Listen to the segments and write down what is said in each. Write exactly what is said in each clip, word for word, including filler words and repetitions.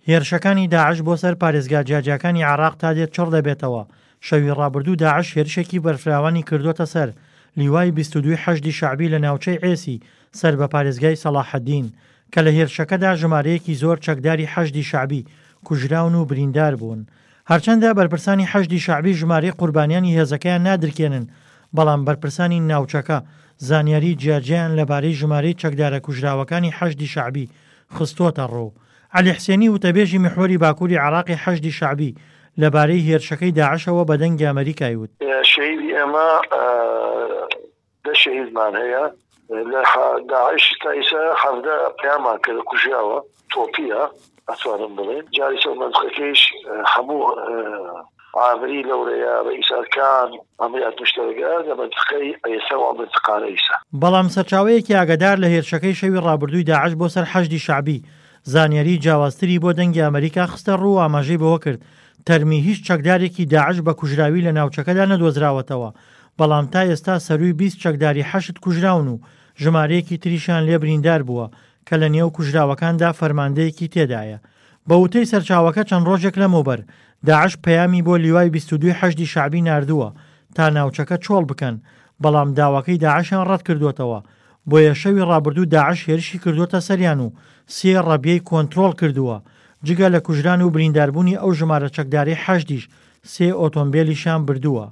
هێرشەکانی داعش بۆ سەر پارێزگا جیاجیاکانی عێراق تا دێت چڕ دەبێتەوە، شەوی ڕابردوو داعش هێرشێکی بەرفراوانی کردووەتە سەر لیوای بیست و دوو حەشدی شەعبی لە ناوچەی عێسی سەر بە پارێزگای سەڵاحەدین، کە لە هێرشەکەدا ژمارەیەکی زۆر چەکداری حەشدی شەعبی کوژراون و بریندار بوون. هەرچەندە بەرپرسانی حەشدی شەعبی ژمارەی قوربانیانی هێزەکەیان نادرکێنن، بەڵام بەرپرسانی ناوچەکە زانیاری جیاجیایان لەبارەی ژمارەی چەکدارە کوژراوەکانی حەشدی شەعبی خستۆتە ڕوو. عەلی حسێنی وتەبێژی میحوەری باکووری عێراقی حەشدی شەعبی لەبارەی هێرشەکەی داعشەوە بە دەنگی ئەمەریکای وت. شەهیدی ئێمە دە شەهیدمان هەیە لە داعش تا ئیسا حەڤدە پەیامان کرد کوژیاوە تۆپیە ئەتوانم بڵێن جاریسە مەنتقەکەیش هەموو عامری لەورەیە رئیس ئەرکان عملیات مشترکە لە منطقەی ئێسا و منطقانە ئیسا. بەڵام سەرچاوەیەکی ئاگادار لە هێرشەکەی شەوی ڕابردووی داعش بۆ سەر حەشدی شەعبی زانیاری جیاوازتری بۆ دەنگی ئەمەریکا خستە ڕوو و ئاماژەی بەوە کرد تەرمی هیچ چەکدارێکی داعش بە کوژراوی لە ناوچەکەدا نەدۆزراوەتەوە، بەڵام تا ئێستا سەرووی بیست چەکداری حەشد کوژراون و ژمارەیەکی تریشیان لێ بریندار بووە کە لە نێو کوژراوەکاندا فەرماندەیەکی تێدایە. بە وتەی سەرچاوەکە چەند ڕۆژێک لەمەوبەر داعش پەیامی بۆ لیوای بیست و دوو حەشدی شەعبی ناردووە تا ناوچەکە چۆڵ بکەن، بەڵام داواکەی داعشیان ڕەت کردووەتەوە، بۆیە شەوی ڕابردوو داعش هێرشی کردووەتە سەریان و سێ ڕەبیەی کۆنترۆڵ کردووە، جگە لە کوژران و برینداربوونی ئەو ژمارە چەکدارەی حەشدیش سێ ئۆتۆمبیلیشیان بردووە.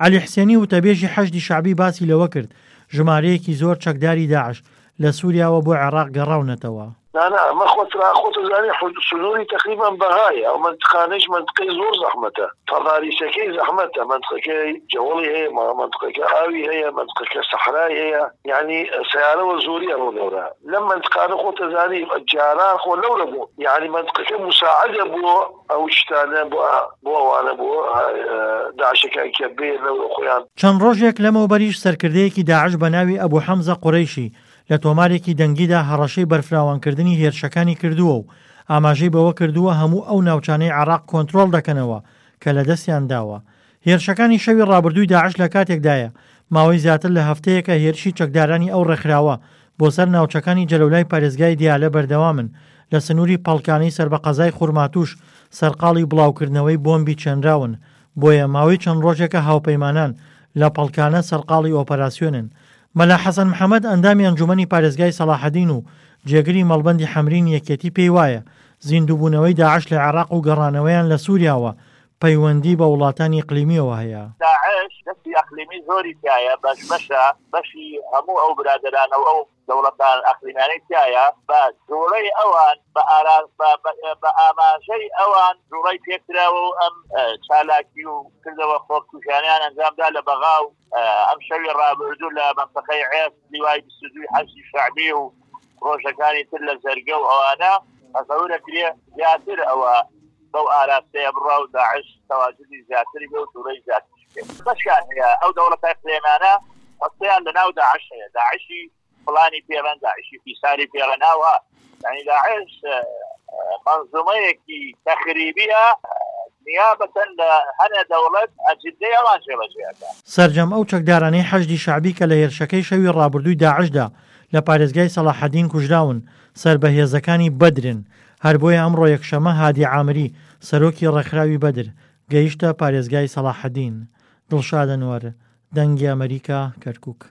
عەلی حسێنی وتەبێژی حەشدی شەعبی باسی لەوە کرد ژمارەیەکی زۆر چەکداری داعش لە سووریاوە بۆ عێراق گەڕاونەتەوە. نا نا ئەمە خۆت خۆت زانی سنووری تقریبا بەغایە، ئەو منطقانەیش منطقەی زۆر زەحمەتە، تەضاریسەکەی زەحمەتە، منطقەکەی جەوەڵی هەیە، منطقەکە ئاوی هەیە، منطقەکە سەحرای هەیە، یعنی سیارەوە زۆری ئەڕۆ لەورە. لەم منطقانە خۆت زانی جاران خۆ لەورە بوو، یعنی منطقەکە مساعدە بۆ ئەو شتانە بۆ بۆ ئەوانە بۆ داعشەکان کە بێ لەورە خۆیان. چەند ڕۆژێک لەمەوبەریش سەرکردەیەکی داعش بە ناوی ئەبوو حەمزە قورەیشی لە تۆمارێکی دەنگیدا هەڕەشەی بەرفراوانکردنی هێرشەکانی کردووە و ئاماژەی بەوە کردووە هەموو ئەو ناوچانەی عێراق کۆنترۆڵ دەکەنەوە کە لە دەستیان داوە. هێرشەکانی شەوی ڕابردووی داعش لە کاتێکدایە ماوەی زیاتر لە هەفتەیەکە هێرشی چەکدارانی ئەو ڕێکخراوە بۆ سەر ناوچەکانی جەلەولای پارێزگای دیالە بەردەوامن لە سنووری پەڵکانەی سەر بە قەزای خورماتوش سەرقاڵی بڵاوکردنەوەی بۆمبی چێنراون، بۆیە ماوەی چەند ڕۆژێکە هاوپەیمانان لە پەڵکانە سەرقاڵی ئۆپەراسیۆنن. مەلا حەسەن محەممەد ئەندامی ئەنجومەنی پارێزگای سەڵاحەدین و جێگری مەڵبەندی حەمرین یەکێتی پێی وایە زیندووبوونەوەی داعش لە عێراق و گەڕانەوەیان لە سووریاوە پەیوەندی بە وڵاتانی ئەقلیمیەوە هەیە. داعش دەستی ئەقلیمی زۆری تایە، بەش بەشە بەشی هەموو ئەو برادەرانە و ئەو دەوڵەتان ئەقلیمانەی تایە، بە جوڵەی ئەوان بە ئاماژەی ئەوان جوڵەی پێکراوە و ئەم چالاکی و کردەوە خۆکوژیانیان ئەنجامدا لە بەغا و ئەم شەوی ڕابردوو لە مەنتەقەی عێس لیوای بیست و دووی حەشدی شەعبی و ڕۆژەکانی تر لە زەرگە و ئەوانە تەسەورە کرێ زیاتر ئەوە بەو ئاراستەیە بڕا و داعش تەواجدی زیاتری بێ و جوڵەی زیاتر بێ. بەشیان هەیە ئەو دەوڵەتە ئەقلیمانە حسیان لەناو داعش هەیە، داعشی فڵانی پێڵەن، داعشی فیساری پێڵەناوە، یعنی داعش منظومەیەکی تەخریبیە نیابەتەن لە هەنێ دەوڵەت ئەجندەی ئەوان جێبەجێ ئەکات. سەرجەم ئەو چەکدارانەی حەشدی شەعبی کە لە هێرشەکەی شەوی ڕابردووی داعشدا لە پارێزگای سەڵاحەدین کوژراون سەر بە هێزەکانی بەدرن، هەر بۆیە ئەمڕۆ یەکشەمە هادی عامری سەرۆکی ڕێکخراوی بەدر گەیشتە پارێزگای سەڵاحەدین. دڵشاد ئەنوەر، دەنگی ئەمریکا، کەرکووک.